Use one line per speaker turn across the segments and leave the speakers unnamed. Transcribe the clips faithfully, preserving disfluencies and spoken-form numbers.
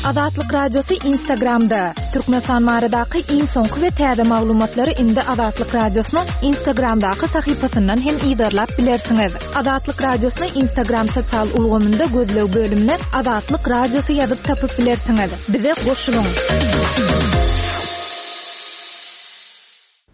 Azatlyk Radiosy Instagramda. Türkmenistan baradaky iň soňky we täze maglumatlary indi Azatlyk Radiosynyň Instagramdaky sahypasyndan hem yzarlap bilersiňiz. Azatlyk Radiosyny Instagram sosial ulgamynda gözleg bölümine Azatlyk Radiosy ýazyp tapyp bilersiňiz. Bize goşulyň.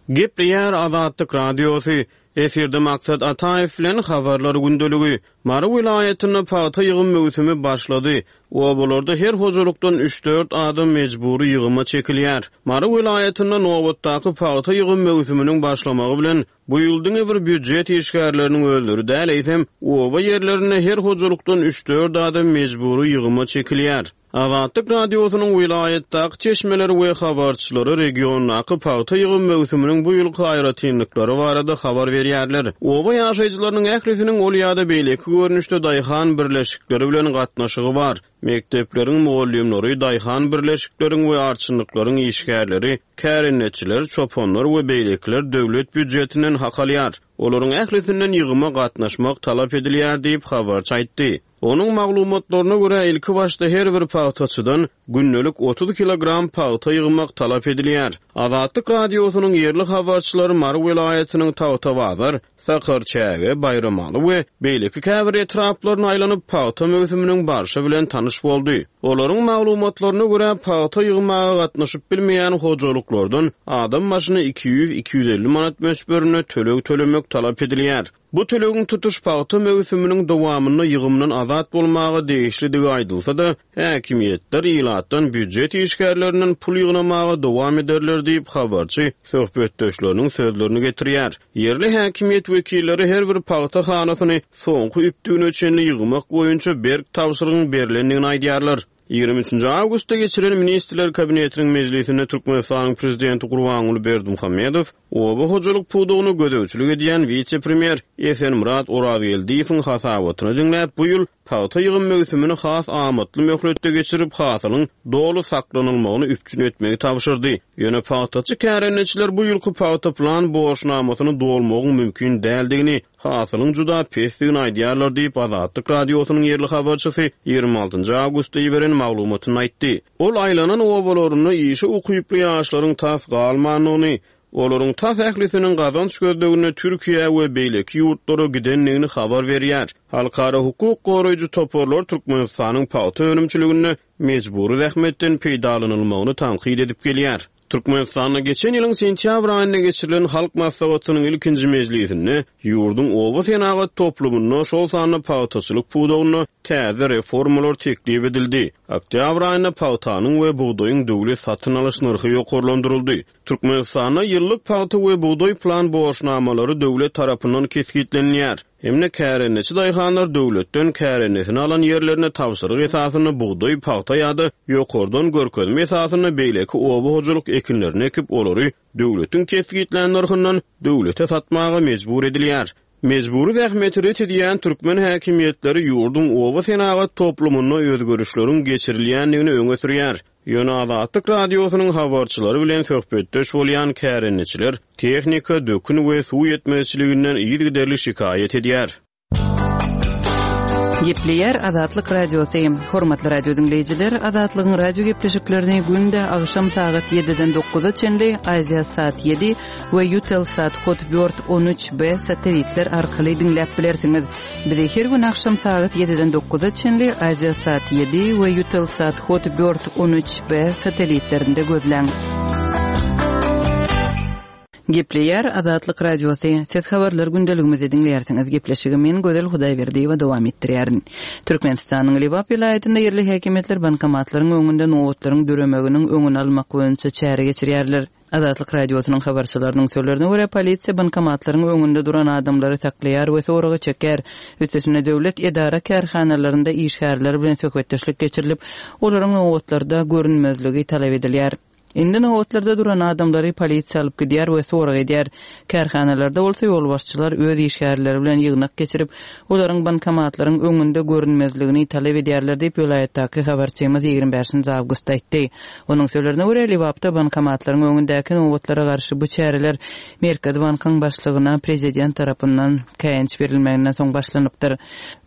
Gepleýär Azatlyk Radiosy. Efirde Maksat Ataýew bilen Habarlar gündeligi. Mary welaýatynda pagta ýygym möwsümi başlady. Obalarda her hojalykdan üç-dört adam mejbury ýygyma çekilýär. Mary welaýatynda nobatdaky pagta ýygym möwsüminiň başlamagy bilen, bu ýyl diňe bir býujet işgärleriniň özleri däl, eýsem, oba ýerlerinde her hojalykdan üç-dört adam mejbury ýygyma çekilýär. Azatlyk Radiosynyň welaýatdaky çeşmeleri we habarçylary regiondaky pagta ýygym möwsüminiň bu ýylky aýratynlyklary barada habar berýärler. Oba ýaşaýjylarynyň ählisiniň ol ýa-da beýleki görnüşde daýhan birleşikleri bilen gatnaşygy bar. Mekdepleriň mugallymlary, daýhan birleşikleriň we arçynlyklaryň işgärleri, kärendeçiler, çopanlar we beýlekiler döwlet býujetinden hak alýar. Olaryň ählisinden ýygyma gatnaşmak talap edilýär diýip, habarçy aýtdy. Onuň maglumatlaryna görä, ilki başda her bir pagtaçydan gündelik otuz kilogram pagta ýygmak talap edilýär. Azatlyk Radiosynyň ýerli habarçylary Mary welaýatynyň Tagtabazar, Sakarçäge, Baýramaly we beýleki käbir etraplaryna aýlanyp, pagta möwsüminiň barşy bilen tanyş boldy. Olaryň maglumatlaryna görä, pagta ýygmaga gatnaşyp bilmeýän hojalyklardan adam başyna iki ýüz, iki ýüz elli manat möçberinde töleg tölemek talap edilýär. Bu tölegiň tutuş pagta möwsüminiň dowamynda ýygymdan azat bolmaga degişlidigi aýdylsa-da, häkimiýetler ilatdan býujet işgärlerinden pul ýygnamaga dowam ederler diýip, habarçy söhbetdeşleriniň sözlerini getirýär. Ýerli häkimiýet wekilleri her bir pagta hanasyny soňky üpdügine çenli ýygmak boýunça berk tabşyrygyň berlendigini aýdýarlar. Ýigrimi üçünji awgustda geçirilen Ministrler Kabinetiniň mejlisinde Türkmenistanyň Prezidenti Gurbanguly Berdimuhamedow oba hojalyk pudagyna gözegçilik edýän wise-premýer Esenmyrat Orazgeldiýewiň hasabatyny diňläp, bu ýyl pagta ýygym möwsümini has amatly möhletde geçirip, hasylyň doly saklanylmagyny üpjün etmegi tabşyrdy. Ýöne pagtaçy kärendeçiler bu ýylky pagta plan borçnamasyny dolmagyň mümkin däldigini, hasylyň juda pesdigini aýdýarlar diýip, Azatlyk Radiosynyň ýerli habarçysy ýigrimi altynjy awgustda iberen maglumatynda aýtdy. Ol aýlanan obalarynda işe ukyply ýaşlaryň tas galmandygyny, olaryň tas ählisiniň gazanç gözleginde Türkiýä we beýleki ýurtlara gidendigini habar berýär. Halkara hukuk goraýjy toparlar Türkmenistanyň pagta önümçiliginde mejbury zähmetden peýdalanylmagyny tankyt edip gelýär. Türkmenistanda geçen ýylyň sentýabr aýynda geçirilen Halk Maslahatynyň ilkinji mejlisinde ýurduň oba senagat toplumynda, şol sanda pagtaçylyk pudagynda täze reformalar teklip edildi. Oktýabr aýynda pagtanyň we bugdaýyň döwlet satyn alyş nyrhy ýokarlandyryldy. Türkmenistanda ýyllyk pagta we bugdaý plan borçnamalary döwlet tarapyndan kesgitlenilýär. Hem-de kärendeçi daýhanlar döwletden kärendesine alan ýerlerine tabşyryk esasynda bugdaý, pagta ýa-da ýokardan görkezme esasynda beýleki oba hojalyk ekinlerini ekip, olary döwletiň kesgitlän nyrhyndan döwlete satmaga mejbur edilýär. Mejbury zähmeti ret edýän türkmen häkimiýetleri ýurduň oba senagat toplumynda özgerişleriň geçirilýändigini öňe sürýär. Ýöne Azatlyk Radiosynyň habarçylary bilen söhbetdeş bolýan kärendeçiler tehnika, dökün we suw ýetmezçiliginden yzygiderli şikaýat edýär.
Gepleýär Azatlyk Radiosy. Hormatly radio diňleýjiler, Azatlygyň radio gepleşiklerini günde agşam sagat ýediden dokuza çenli Aziasat ýedi we Eutelsat Hotbird on üç B satelitler arkaly diňläp bilersiňiz. Bizi her gün agşam sagat ýediden dokuza çenli Aziasat ýedi we Eutelsat Hotbird on üç B satelitlerinde gözläň. Gepleýär Azatlyk Radiosy. Siz habarlar gündeligimizi diňleýärsiňiz. Gepleşigi men Gözel Hudaýberdiýewa dowam etdirýärin. Türkmenistanyň Lebap welaýatynda ýerli häkimiýetler bankomatlaryň öňünde nobatlaryň döremeginiň öňüni almak boýunça çäre geçirýärler. Azatlyk Radiosynyň habarçylarynyň sözlerine görä, polisiýa bankomatlaryň öňünde duran adamlary saklaýar we soraga çekýär. Üstesine döwlet edara kärhanalarynda işgärler bilen söhbetdeşlik geçirilip, olaryň nobatlarda görünmezligi talap edilýär. Indi nobatlarda duran adamlary polisiýa alyp gidýär we sorag edýär. Kärhanalarda bolsa ýolbaşçylar öz işgärleri bilen ýygnak geçirip, olaryň bankomatlaryň öňünde görünmezligini talap edýärler diýip, welaýatdaky habarçymyz ýigrimi bäşinji awgustda aýtdy. Onuň sözlerine görä, Lebapda bankomatlaryň öňündäki nobatlara garşy bu çäreler Merkezi bankyň başlygyna prezident tarapyndan käýinç berilmeginden soň başlanypdyr.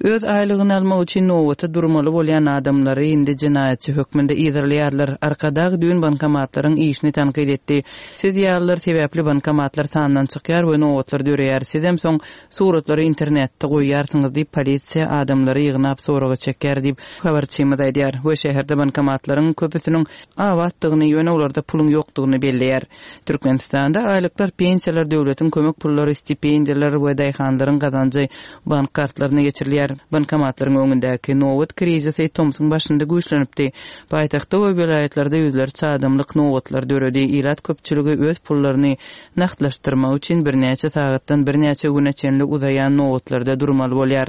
Öz aýlygyny almak üçin nobata durmaly bolýan adamlary indi jenaýatçy hökmünde yzarlaýarlar. Arkadag düýn bankomatlaryň işini tankyt etdi. Siz ýalylar sebäpli bankomatlar sandan çykýar we nobatlar döreýär. Sizem soň suratlary internetde goýýarsyňyz diýip, polisiýa adamlary ýygnap soraga çekýär diýip, habarçymyz aýdýar we şäherde bankomatlaryň köpüsiniň abatdygyny, ýöne olarda puluň ýokdugyny belleýär. Türkmenistanda aýlyklar, pensiýalar, döwletiň kömek pullary, stipendiýalar we daýhanlaryň gazanjy bank kartlaryna geçirilýär. Bankomatlaryň öňündäki nobat krizisi tomsuň başynda güýçlenipdi. Paýtagtda we welaýatlarda ýüzlerçe adamlyk nobatlar döredi. Ilat köpçüligi öz pullaryny nagtlaşdyrmak üçin birnäçe sagatdan birnäçe güne çenli uzaýan nobatlarda durmaly bolýar.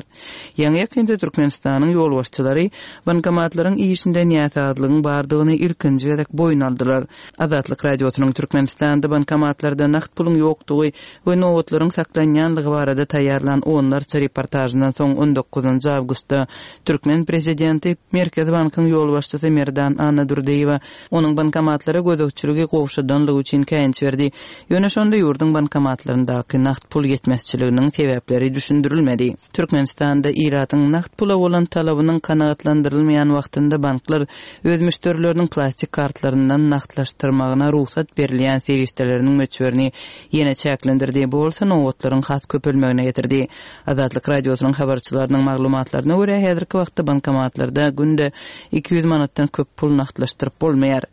Ýaňy-ýakynda Türkmenistanyň ýolbaşçylary bankomatlaryň işinde näsazlygyň bardygyny ilkinji gezek boýun aldylar. Azatlyk Radiosynyň Türkmenistanda bankomatlarda nagt puluň ýokdugy we nobatlaryň saklanýanlygy barada taýýarlan onlarça reportažyndan soň on dokuzynjy awgustda türkmen prezidenti Merkezi bankyň ýolbaşçysy Merdan Annadurdyýewa onuň bankomatlara gözegçiligi gowşadanlygy üçin käýinç berdi. Ýöne şonda ýurduň bankomatlaryndaky nagt pul ýetmezçiliginiň sebäpleri düşündirilmedi. Türkmenistanda ilatyň nagt pula bolan talabynyň kanagatlandyrylmaýan wagtynda banklar öz müşderileriniň plastik kartlaryndan nagtlaşdyrmagyna rugsat berilýän serişdeleriniň möçberini ýene çäklendirdi. Bu bolsa nobatlaryň has köpelmegine getirdi. Azatlyk Radiosynyň habarçylarynyň maglumatlaryna görä, häzirki wagtda bankomatlarda günde iki ýüz manatdan köp pul nagtlaşdyryp bolmaýar.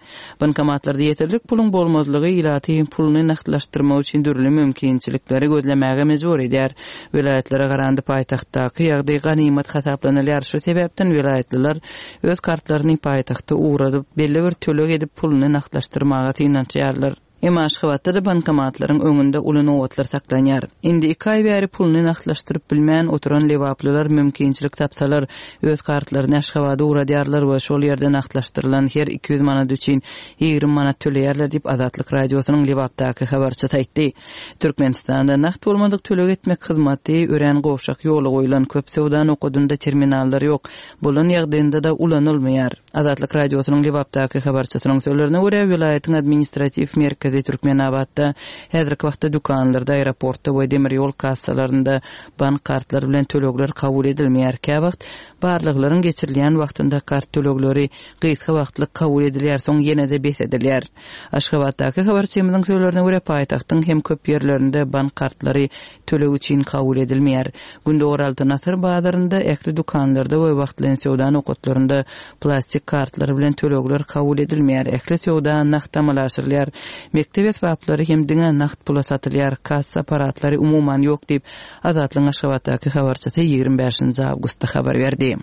Bankomatlarda ýeterlik puluň bolmazlygy ilaty puluny nagtlaşdyrmak üçin dürli mümkinçilikleri gözlemäge mejbur edýär. Welaýatlara garanda paýtagtdaky ýagdaý ganymat hasaplanylýar. Şu sebäpden welaýatlylar öz kartlaryny paýtagta ugradyp, belli bir töleg edip puluny nagtlaşdyrmaga synanyşýarlar. Emma Aşgabatda da bankomatlaryň öňünde uly nobatlar saklanýar. Indi iki aý bäri puluny nagtlaşdyryp bilmän oturan lebaplylar mümkinçilik tapsalar öz kartlaryny Aşgabada ugradýarlar we şol ýerde nagtlaşdyrylan her iki ýüz manat üçin ýigrimi manat töleýärler diýip Azatlyk Radiosynyň Lebapdaky habarçysy aýtdy. Türkmenistanda nagt bolmadyk töleg etmek hyzmaty örän gowşak ýola goýlan, köp söwda nokadynda terminallar ýok, bolan ýagdaýynda da ulanylmaýar. Azatlyk Radiosynyň Lebapdaky habarçysynyň sözlerine görä, welaýatyň administratiw merkezi Türkmenabatda häzirki wagtda dükanlarda, aeroportda we demir ýol kassalarynda bank kartlary bilen tölegler kabul edilmeýär. Käwagt barlaglaryň geçirilýän wagtynda kart tölegleri gysga wagtlyk kabul edilýär, soň ýene-de bes edilýär. Aşgabatdaky habarçymyzyň sözlerine görä, paýtagtyň hem köp ýerlerinde bank kartlary töleg üçin kabul edilmeýär. Gündogar Altyn Asyr bazarynda ähli dükanlarda we wagtlaýyn söwda nokatlarynda plastik kartlary bilen tölegler kabul edilmeýär. Ähli söwda nagt amala aşyrylýar. Mekdep esbaplary hem diňe nagt pula satylýar. Kassa aparatlary umuman ýok diýip Azatlygyň Aşgabatdaky habarçysy ýigrimi bäşinji awgustda habar berdi.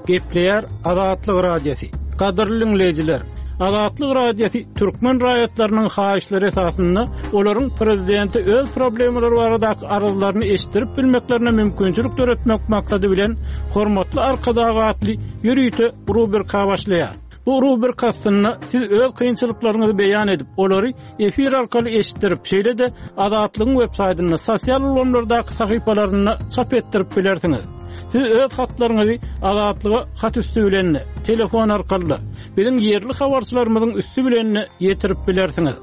Gepleýär Azatlyk Radiosy. Gadyrly dinleýjiler, Azatlyk Radiosy türkmen raýatlarynyň haýyşlary esasynda olaryň prezidenti öz problemalary baradaky arzlaryny eşitdirip bilmeklerine mümkinçilik döretmek maksady bilen hormatly Arkadag atly ýörite rubrika başlaýar. Bu rubrika aslynda siz öz kynçylyklaryňyzy beýan edip, olary efir arkaly eşitdirip, şeýle-de Azatlygyň web saýtynda, sosial ulgamlardaky sahypalarynda çap etdirip bilersiňiz. Siz öz hatlaryňyzy Azatlyga hat üstü bilen, telefon arkaly, biziň ýerli habarçylarymyzyň üstü bilen ýetirip bilersiňiz.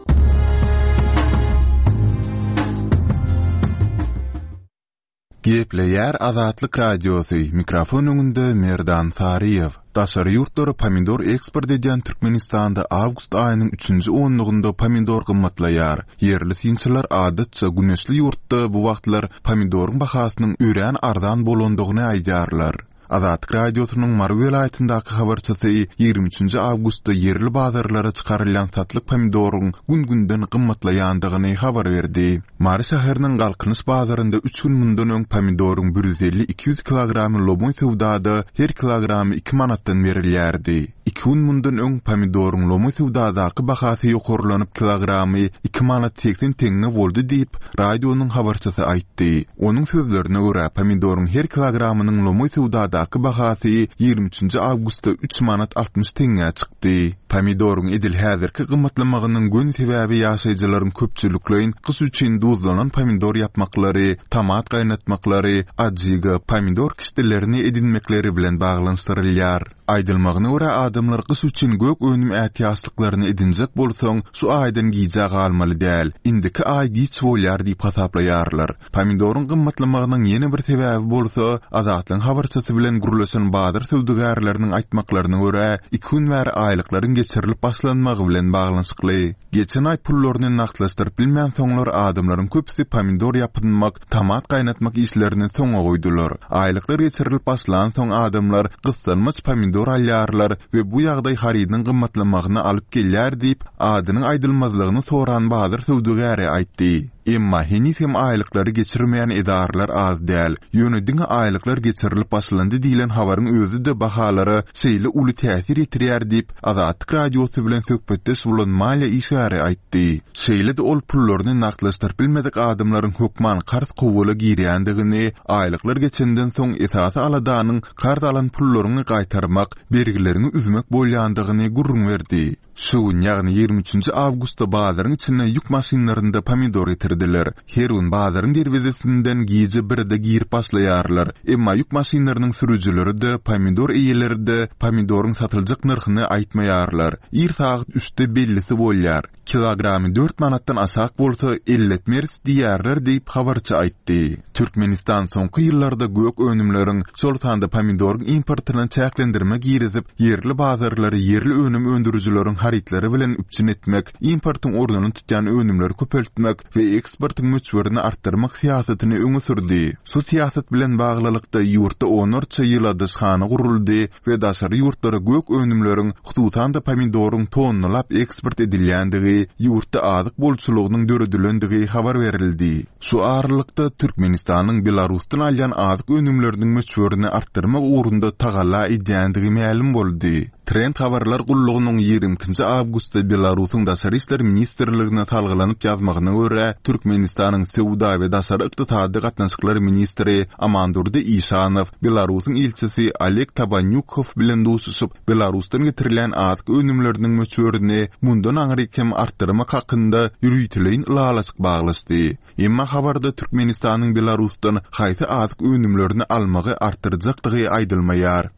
Gepleýär Azatlyk Radiosy, mikrofon öňünde Merdan Saryýew. Daşary ýurtlara pomidor eksport edýän Türkmenistanda awgust aýynyň üçünji onlugynda pomidor gymmatlaýar. Ýerli synçylar adatça güneşli ýurtda bu wagtlar pomidoryň bahasynyň örän arzan bolandygyny aýdýarlar. Azatlyk Radiosynyň Mary welaýatyndaky habarçysy ýigrimi üçünji awgustda ýerli bazarlara çykarylýan satlyk pomidoryň gün-günden gymmatlaýandygyny habar berdi. Mary şäheriniň Galkynyş bazarynda üç gün mundan öň pomidoryň bir ýüz elli iki ýüz kilogramy lomoý söwdada her kilogramy iki manatdan berilýärdi. Iki gün mundan öň pomidoryň lomoý söwdadaky bahasy ýokarlanyp kilogramy iki manat seksen teňňe boldy diýip radionyň habarçysy aýtdy. Onuň sözlerine görä pomidoryň her kilogramynyň lomoý söwdadaky bazardaky bahasy ýigrimi üçünji awgustda üç manat altmyş teňňä çykdy. Pomidoryň edil häzirki gymmatlamagynyň göni sebäbi ýaşaýjylaryň köpçülikleýin gyş üçin duzlanan pomidor ýapmaklary, tomat gaýnatmaklary, adjiga, pomidor kişdelerini edinmekleri bilen baglanyşdyrylýar. Aýdylmagyna görä, adamlar gyş üçin gök önüm ätiýaçlyklaryny edinjek bolsaň, şu aýdan gijä galmaly däl, indiki aý giç bolýar diýip hasaplaýarlar. Pomidoryň gymmatlamagynyň ýene bir sebäbi bolsa, Azatlygyň habarçysy bilen gürleşen bazar söwdagärleriniň aýtmaklaryna görä, iki gün bäri aýlyklaryň geçirilip başlanmagy bilen baglanyşykly. Geçen aý pullaryny nagtlaşdyryp bilmänsoňlar adamlaryň köpüsi pomidor ýapynmak, tomat gaýnatmak işlerini soňa goýdular. Aýlyklar geçirilip başlansoň adamlar gyssanmaç pomidor alýarlar we bu ýagdaý harydyň gymmatlamagyna alyp gelýär diýip, adynyň aýdylmazlygyny soran bazar söwdagäri aýtdy. Emma heniz hem aýlyklary geçirmeýän edaralar az däl. Ýöne diňe aýlyklar geçirilip başlandy diýlen habaryň özi-de bahalara şeýle uly täsir ýetirýär diýip, Azatlyk Radiosy bilen söhbetdeş bolan maliýe işgäri aýtdy. Şeýle-de ol pullaryny nagtlaşdyryp bilmedik adamlaryň hökman karz kowula girýändigini, aýlyklar geçenden soň esasy aladanyň karz alan pullaryňy gaýtarmak, bergileriňi üzmek bolýandygyny gürrüň berdi. Şu gün, ýagny ýigrimi üçünji awgustda bazaryň içine ýük maşynlarynda pomidor getirdiler. Her gün bazaryň derwezesinden gije birde girip başlaýarlar. Emma ýük maşynlarynyň sürüjileri-de, pomidor eýeleri-de pomidoryň satyljak nyrhyny aýtmaýarlar. Ir sagat üçde bellisi bolýar. Kilogramy dört manatdan aşak bolsa, elletmeris diýýärler diýip, habarçy aýtdy. Türkmenistan soňky ýyllarda gök önümleriň, şol sanda pomidoryň importyna çäklendirme girizip, ýerli bazarlary ýerli önüm öndürijileriň harytlary bilen üpjün etmek, importyň ornuny tutýan önümleri köpeltmek we eksportyň möçberini artdyrmak syýasatyny öňe sürdi. Şu syýasat bilen baglylykda, ýurtda onlarça ýyladyşhana guruldy we daşary ýurtlara gök önümleriň, hususan-da pomidoryň tonnalap eksport edilýändigi, ýurtda azyk bolçulygynyň döredilendigi habar berildi. Şu aralykda, Türkmenistanyň Belarusdan alýan azyk önümleriniň möçberini artdyrmak ugrunda tagalla edýändigi mälim boldy. Trend habarlar gullugynyň ýigrimi ikinji awgustda Belarusyň Daşary işler ministrligine salgylanyp ýazmagyna görä, Türkmenistanyň Söwda we daşary ykdysady gatnaşyklar ministri Amandurdy Işanow Belarusyň ilçisi Oleg Tabanýukow bilen duşuşyp, Belarusdan getirilýän azyk önümleriniň möçberini mundan aňryk hem artdyrmak hakynda ýöriteleýin ylalaşyk baglaşdy. Emma habarda Türkmenistanyň Belarusdan haýsy azyk önümlerini almagy artdyrjakdygy aýdylmaýar.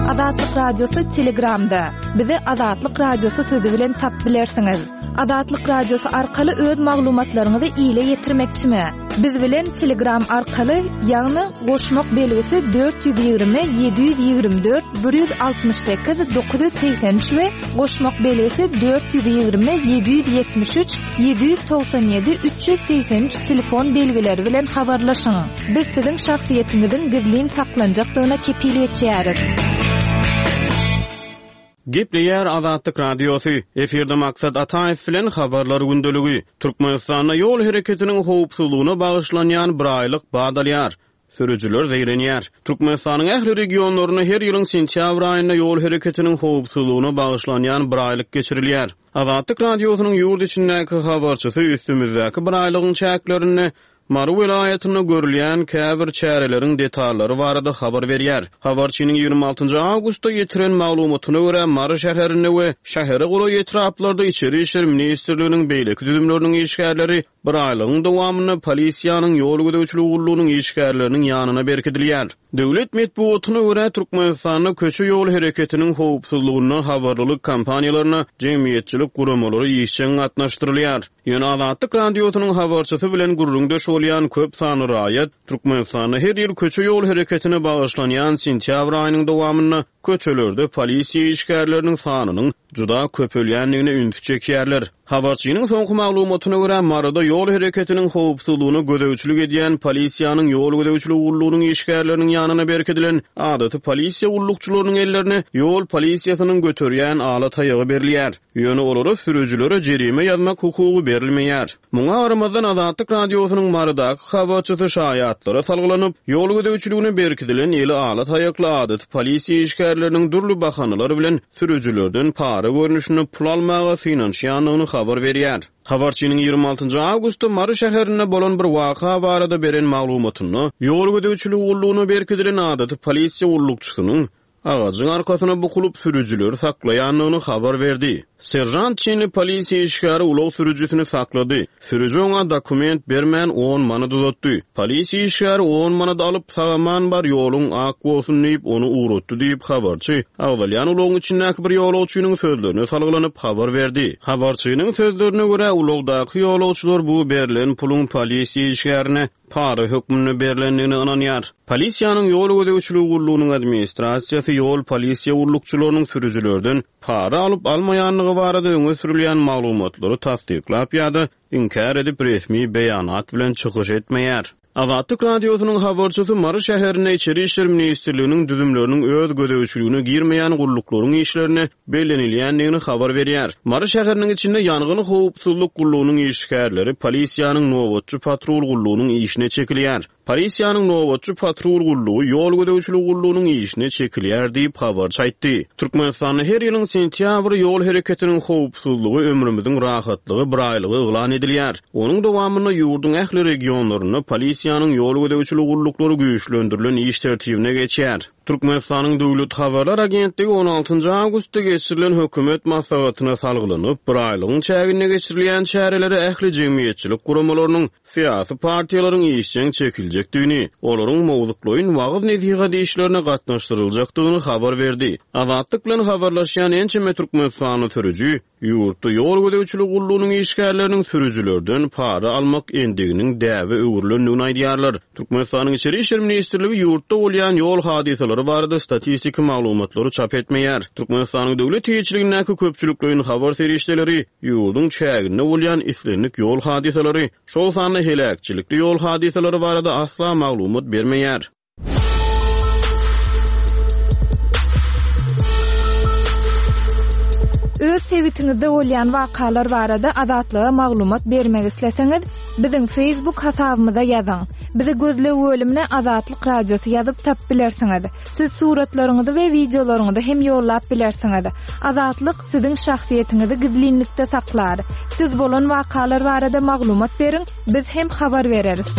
Azatlyk Radiosy Telegramda. Bizi Azatlyk Radiosy sözi bilen tapyp bilersiňiz. Azatlyk Radiosy arkaly öz maglumatlaryňyzy ile ýetirmekçimi? Biz bilen Telegram arkaly, ýagny goşmak belgisi dört ýüz ýigrimi ýedi ýüz ýigrimi dört bir ýüz altmyş sekiz dokuz ýüz segsen üç we goşmak belgisi dört ýüz ýigrimi ýedi ýüz ýetmiş üç ýedi ýüz togsan ýedi üç ýüz segsen üç telefon belgileri bilen habarlaşyň. Biz siziň şahsyýetiňiziň gizlin saklanjakdygyna kepil geçýäris.
Gepleýär Azatlyk Radiosy. Efirde Maksat Ataýew bilen habarlar gündeligi. Türkmenistanda ýol hereketiniň howpsuzlygyna bagyşlanýan bir aýlyk bad alýar. Sürüjiler zeýrenýär. Türkmenistanyň ähli regionlarynda her ýylyň sentýabr aýynda ýol hereketiniň howpsuzlygyna bagyşlanýan bir aýlyk geçirilýär. Azatlyk Radiosynyň ýurt içindäki habarçysy üstümizdäki bir aýlygyň çäklerinde Mary welaýatynda görülýän käbir çäreleriň detallary barada habar berýär. Habarçynyň ýigrimi altynjy awgustda ýetiren maglumatyna görä, Mary şäherinde we şähere golaý etraplarda Içeri işler ministrliginiň beýleki düzümleriniň işgärleri bir aýlygyň dowamynda polisiýanyň ýol gözegçiligi gullugynyň işgärleriniň ýanyna berkidilýär. Döwlet metbugatyna görä, Türkmenistanda köçe ýol hereketiniň howpsuzlygyndan habarlylyk kampaniýalaryna jemgyýetçilik guramalary işjeň gatnaşdyrylýar. Ýöne Azatlyk Radiosynyň habarçysy bilen gürrüňdeş bolýan köp sanly raýat Türkmenistanda her ýyl köçe ýol hereketine bagyşlanýan sentýabr aýynyň dowamynda köçelerde polisiýa işgärleriniň sanynyň juda köpelýändigine ünsi çekýärler. Habarçynyň soňky maglumatyna görä, Maryda ýol hereketiniň howpsuzlygyna gözegçilik edýän polisiýanyň ýol gözegçiligi gullugynyň işgärleriniň ýanyna berkidilen adaty polisiýa gullukçylarynyň ellerine ýol polisiýasynyň göterýän ala taýagy berilýär. Ýöne olara sürüjilere jerime ýazmak hukugy berilmeýär. Muňa garamazdan Azatlyk Radiosynyň Mary Marydaky habarçysy şaýatlara salgylanyp, ýol gözegçiligine berkidilen eli ala taýakly adaty polisiýa işgärleriniň dürli bahanalar bilen sürüjilerden para görnüşinde pul almaga synanyşýandygyny habar berýär. Habarçynyň ýigrimi altynjy awgustda Mary şäherinde bolan bir waka barada beren maglumatynda ýol gözegçiligi gullugyna berkidilen adaty polisiýa gullukçysynyň agajyň arkasyna bukulyp sürüjileri saklaýandygyny habar berdi. Seržant çinli polisiýa işgäri ulag sürüjisini saklady. Sürüji oňa dokument bermän on manat uzatdy. Polisiýa işgäri on manat alyp, sag-aman bar, ýoluň ak bolsun diýip, ony ugratdy diýip, habarçy agzalýan ulagyň içindäki bir ýolagçynyň sözlerine salgylanyp habar berdi. Habarçynyň sözlerine görä, ulagdaky ýolagçylar bu berlen puluň polisiýa işgärine para hökmünde berlendigine ynanýar. Polisiýanyň ýol gözegçiligi gullugynyň administrasiýasy ýol polisiýa gullukçylarynyň sürüjilerden para alyp almaýandygy barada öňe sürülýän maglumatlary tassyklap ýa-da inkär edip resmi beýanat bilen çykyş etmeýär. Azatlyk Radiosynyň habarçysy Mary şäherinde Içeri işler ministrliginiň düzümleriniň öz gözegçiligine girmeýän gulluklaryň işlerine bellenilýändigini habar berýär. Mary şäheriniň içinde ýangyn howpsuzlyk gullugynyň işgärleri polisiýanyň nobatçy patrul gullugynyň işine çekilýär. Polisiýanyň nobatçy patrul gullugy ýol gözegçiligi gullugynyň işine çekilýär diýip habarçy aýtdy. Türkmenistanda her ýylyň sentýabr ýol hereketiniň howpsuzlygy ömrümüziň rahatlygy bir aýlygy yglan edilýär. Onuň dowamynda ýurduň ähli regionlarynda polisiýanyň ýol gözegçiligi gulluklary güýçlendirilen iş tertibine geçýär. Türkmenistanyň Döwlet Habarlar Agentligi on altynjy awgustda geçirilen hökümet maslahatyna salgylanyp, bir aýlygyň çäginde geçirilýän çärelere ähli jemgyýetçilik guramalarynyň, syýasy partiýalaryň işjeň çekiljekdigini, olaryň mowzuklaýyn wagyz-nesihat işlerine gatnaşdyryljakdygyny habar berdi. Azatlyk bilen habarlaşýan ençeme Türkmenistanly sürüji ýurtda ýol gözegçiligi gullugynyň işgärleriniň sürüjilerden para almak endiginiň däbe öwrülendigini aýdýarlar. Türkmenistanyň Içeri işler ministrligi ýurtda bolýan ýol hadysalary barada statistiki maglumatlary çap etmeýär. Türkmenistanyň döwlet eýeçiligindäki köpçülikleýin habar serişdeleri ýurduň çäginde bolýan islendik ýol hadysalary, şol sanda heläkçilikli ýol hadysalary barada asla maglumat bermeýär.
Öz sebitiňizde bolýan wakalar barada Azatlyga maglumat bermek isleseňiz, biziň Facebook hasabymyza ýazyň. Bizi gözleg bölümine Azatlyk Radiosy ýazyp tap bilersiňiz. Siz suratlaryňyzy we wideolaryňyzy hem ýollap bilersiňiz. Azatlyk siziň şahsyýetiňizi gizlinlikde saklar. Siz bolan wakalar barada maglumat beriň, biz hem habar bereris.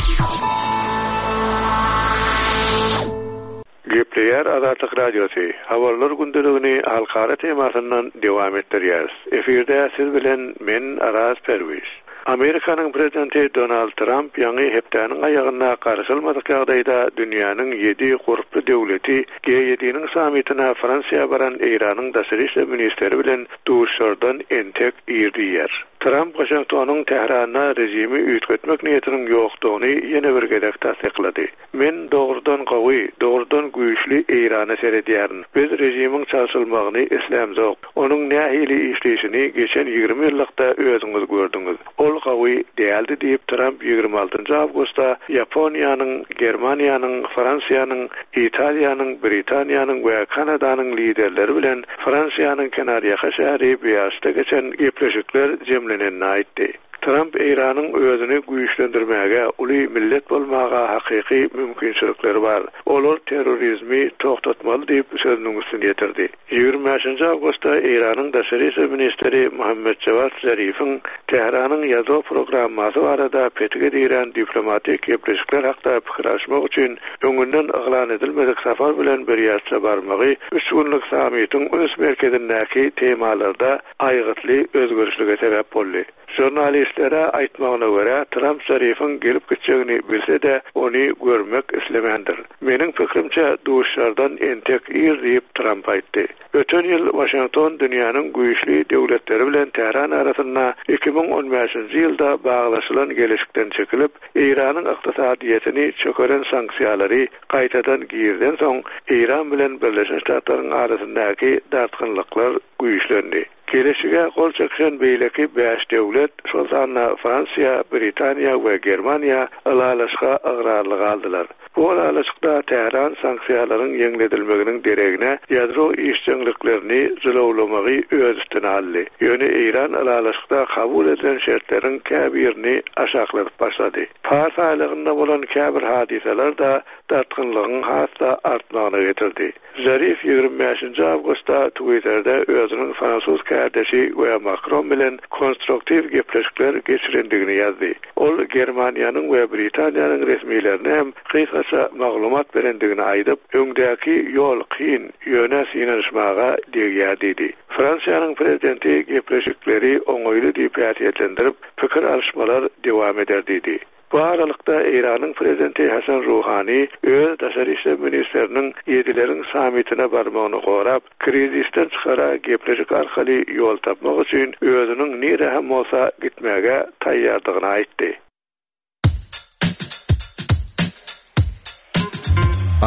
Gepleýär Azatlyk Radiosy. Habarlar gündeligini halkara temasyndan dowam etdirýäris. Efirde siz bilen men Araz Perwiz. Amerikanyň prezidenti Donald Trump ýaňy hepdäniň aýagynda garaşylmadyk ýagdaýda dünýäniň ýedi gurply döwleti G ýediniň sammitine Fransiýa baran Eýranyň daşary işler ministri bilen duşardan entek ir diýer. Trump Washingtonyň Tähranda režimi üýtgetmek niýetiniň ýokdugyny ýene bir gezek tassyklady. Men dogrudan gawy, dogrudan güýçli Eýrana seredýärin. Biz režimiň çalşylmagyny islämzok. Onuň nähili işleýşini geçen ýigrimi ýyllykda özüňiz gördüňiz. Ol gawy däldi diýip Trump ýigrimi altynjy awgustda Ýaponiýanyň, Germaniýanyň, Fransiýanyň, Italiýanyň, Britaniýanyň we Kanadanyň liderleri bilen Fransiýanyň kenarýaka şäheri Biarritz-de geçen gepleşikler jemlenenini aýtdy. Trump Eýranyň özüni güýçlendirmäge, uly millet bolmaga hakyky mümkinçilikleri bar. Olar terrorizmi toxtatmaly diýip sözüniň üstüne ýetirdi. Ýigrimi bäşinji awgustda Eýranyň daşary işler ministri Muhammed Jawad Zarifiň Tähranyň ýadro programmasy barada petige diýren diplomatik gepleşikler hakda pikir alşmak üçin öňünden yglan edilmedik sapar bilen bir ýerçe barmagy üç günlük sammitiň üns merkezindäki temalarda aýgytly özgerişlige sebäp boldy. Jurnalistlere aýtmagyna görä, Trump Zarifiň gelip gitjegini bilse-de, ony görmek islemändir. Meniň pikrimçe duşardan entek ir diýip Trump aýtdy. Öten ýyl Washington dünýäniň güýçli döwletleri bilen Tähran arasynda iki müň on bäşinji ýylda baglaşylan gelişikden çekilip, Eýranyň ykdysadyýetini çökeren sanksiýalary gaýtadan girden soň Eýran bilen Birleşen Ştatlaryň arasyndaky dartgynlyklar güýçlendi. Gelişige gol çekişen beýleki bäş döwlet, şol sanda Fransiýa, Britaniýa we Germaniýa ylalaşga ygrarly galdylar. Bu ylalaşykda Tähran sanksiýalaryň ýeňledilmeginiň deregine ýadro işjeňliklerini jylawlamagy öz üstüne aldy. Ýöne Eýran ylalaşykda kabul edilen şertleriň käbirini aşakladyp başlady. Pars aýlagynda bolan käbir hadysalar da dartgynlygyň has-da artmagyna getirdi. Zarif ýigrimi bäşinji awgustda Twitter'de özüniň fransuz kärdeşi we Makron bilen konstruktiw gepleşikler geçirendigini ýazdy. Ol Germaniýanyň we Britaniýanyň resmilerine hem gysgaça maglumat berendigini aýdyp, öňdäki ýol kyn, ýöne synanyşmaga degýär diýdi. Fransiýanyň prezidenti gepleşikleri oňaýly diýip häsiýetlendirip, pikir alyşmalar dowam eder diýdi. Bu aralykda Eýranyň prezidenti Hasan Ruhani öz daşary işler ministriniň ýedileriň sammitine barmagyny gorap, krizisden çykara gepleşik arkaly ýol tapmak üçin özüniň nire hem bolsa gitmäge taýýardygyny aýtdy.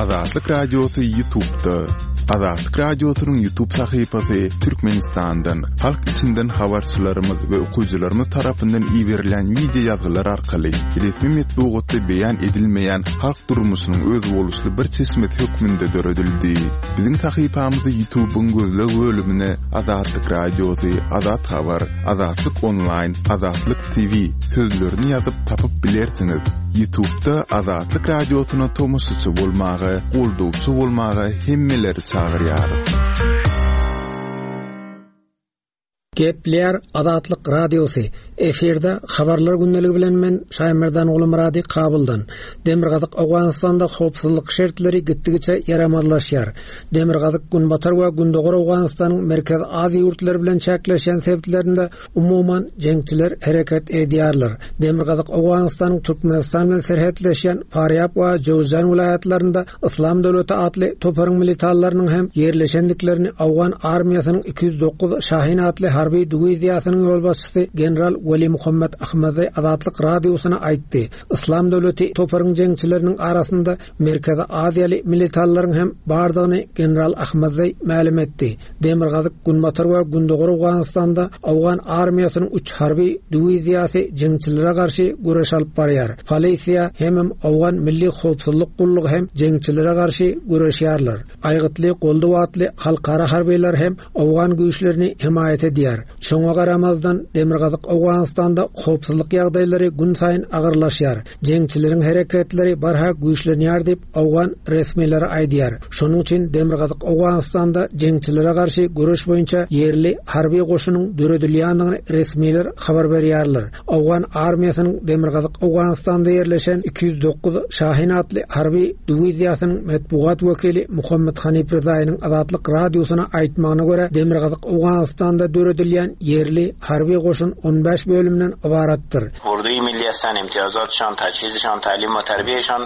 Azatlyk Radiosy YouTube'da. Azatlyk Radiosynyň YouTube sahypasy Türkmenistandan, halk içinden habarçylarymyz we okyjylarymyz tarapyndan iberilen wideo ýazgylar arkaly resmi metbugatda beýan edilmeýän halk durmuşynyň özboluşly bir çeşmesi hökmünde döredildi. Biziň sahypamyzy YouTube'yň gözleg bölümine Azatlyk Radiosy, Azat Habar, Azatlyk Online, Azatlyk T V sözlerini ýazyp tapyp bilersiňiz. YouTube'da Azatlyk Radiosyna tomaşaçy bolmaga, goldawçy bolmaga hemmeleri çagyrýarys.
Gepler Azatlyk Radiosy efirde habarlar gündeligi bilen men Şaýmerdan Gulmurady Kabuldan. Demirgazyk Owganystanda howpsuzlyk şertleri gitdigiçe ýaramazlaşýar. Demirgazyk Günbatar we Gündogar Owganystanyň Merkezi Aziýa ýurtlary bilen çäkleşen sebitlerinde umuman jeňçiler hereket edýärler. Demirgazyk Owganystanyň Türkmenistan bilen serhetleşen Farýab we Jowzjan welaýatlarynda Yslam döwleti atly toparyň militarlarynyň hem ýerleşendiklerini Owgan armiýasynyň iki ýüz dokuz Şahin atly harby diwiziýasynyň ýolbaşçysy general Weli Muhammed Ahmadi Azatlyk Radiosyna aýtdy. Yslam döwleti toparyň jeňçileriniň arasynda Merkezi Aziýaly militarlaryň hem bardygyny general Ahmadi mälim etdi. Demirgazyk Günbatar we Gündogar Owganystanda Owgan armiýasynyň üç harby diwiziýasy jeňçilere garşy göreş alyp barýar. Polisiýa hemem Owgan Milli Howpsuzlyk Gullugy hem jeňçilere garşy göreşýärler. Aýgytly goldaw atly halkara harbylar hem Owgan güýçlerini hemaýat edýär. Şoňa garamazdan Demirgazyk Owganystanda howpsuzlyk ýagdaýlary gün saýyn agyrlaşýar. Jeňçileriň hereketleri barha güýçlenýär diýip Owgan resmileri aýdýar. Şonuň üçin Demirgazyk Owganystanda jeňçilere garşy göreş boýunça ýerli harby goşunyň döredilýändigini resmiler habar berýärler. Owgan armiýasynyň Demirgazyk Owganystanda ýerleşen iki ýüz dokuz Şahin atly harby diwiziýasynyň metbugat wekili Muhammed Hanif Rızaýynyň Azatlyk Radiosyna aýtmagyna görä Demirgazyk Owganystanda döredilýän ýerli harby goşun on bäş bölümden ybaratdyr.
Urduy milli هستند، امتیازاتشان، تجهیزشان، تعلیم و تربیهشان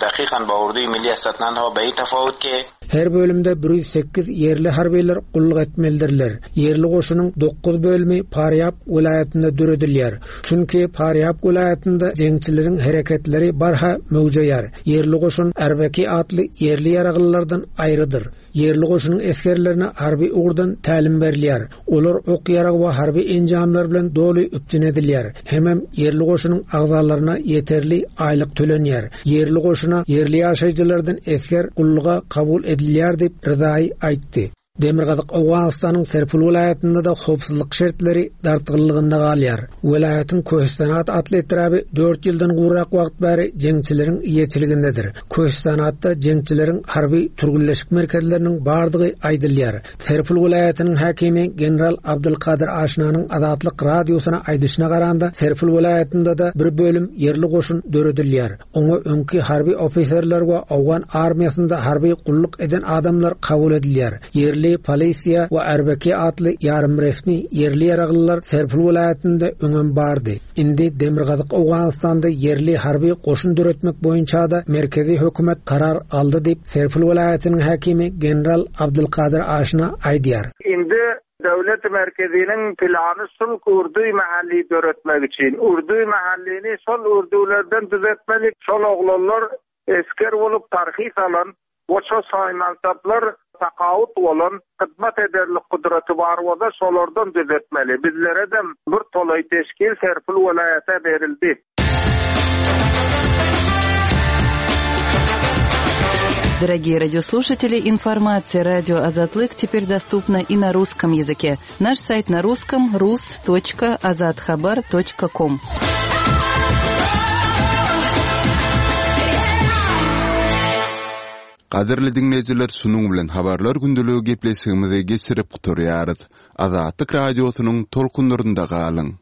دقیقاً با اردوی ملی هستند، تنها به این تفاوت که
Her bölümde bir ýüz sekiz ýerli harbylar gulluk etmelidirler. Ýerli goşunyň dokuz bölümi Farýab welaýatynda döredilýär. Çünki Farýab welaýatynda jeňçileriň hereketleri barha möwjeýär. Ýerli goşun Erbeki atly ýerli ýaraglylardan aýrydyr. Ýerli goşunyň esgerlerine harby ugurdan tälim berilýär. Olar ok ýarag we harby enjamlar bilen doly üpjün edilýär. Hemem ýerli goşunyň agzalaryna ýeterli aýlyk tölenýär. Ýerli goşuna ýerli ýaşaýjylardan esger gulluga kabul edilýär diýip Rızaý aýtdy. Demirgazyk Owganystanyň Serpil welaýatynda da howpsuzlyk şertleri dartgynlygynda galýar. Welaýatyň Köhistanat atly etraby dört ýyldan gowrak wagt bäri jeňçileriň eýeçiligindedir. Köhistanatda jeňçileriň harby türgünleşik merkezleriniň bardygy aýdylýar. Serpil welaýatynyň häkimi general Abdulkadir Aşnanyň Azatlyk radiosyna aýdyşyna garanda Serpil welaýatynda da bir bölüm ýerli goşun döredilýär. Oňa öňki harby ofiserler we Owgan armiýasynda harby gulluk eden adamlar kabul edilýär. Ýerli polisiýa we Erbeki atly ýarym resmi ýerli ýaraglylar Serpil welaýatynda öňem bardy. Indi Demirgazyk Owganystanda ýerli harby goşun döretmek boýunça da merkezi hökümet karar aldy diýip Serpil welaýatynyň häkimi general Abdulkadir Aşna aýdýar.
Indi döwlet merkeziniň plany şul urduy mahalli döretmek üçin. Urduy mahallini şol urdulardan düzetmeli. Şol oglanlar esker bolup tarhis alan, boşa saýmansaplar takaut olan hizmet ederlik kudraty bar bolsa şolardan düzetmeli. Bizlere de bir tolay teşkil Serpil welaýata berildi.
Дорогие радиослушатели, информация радио Азатлык теперь доступна и на русском языке. Наш сайт на русском rus.azathabar.com.
Gadyrly diňleýjiler, şunuň bilen habarlar gündeligi gepleşigimizi geçirip gutarýarys. Azatlyk radiosynyň tolkunlarynda galyň.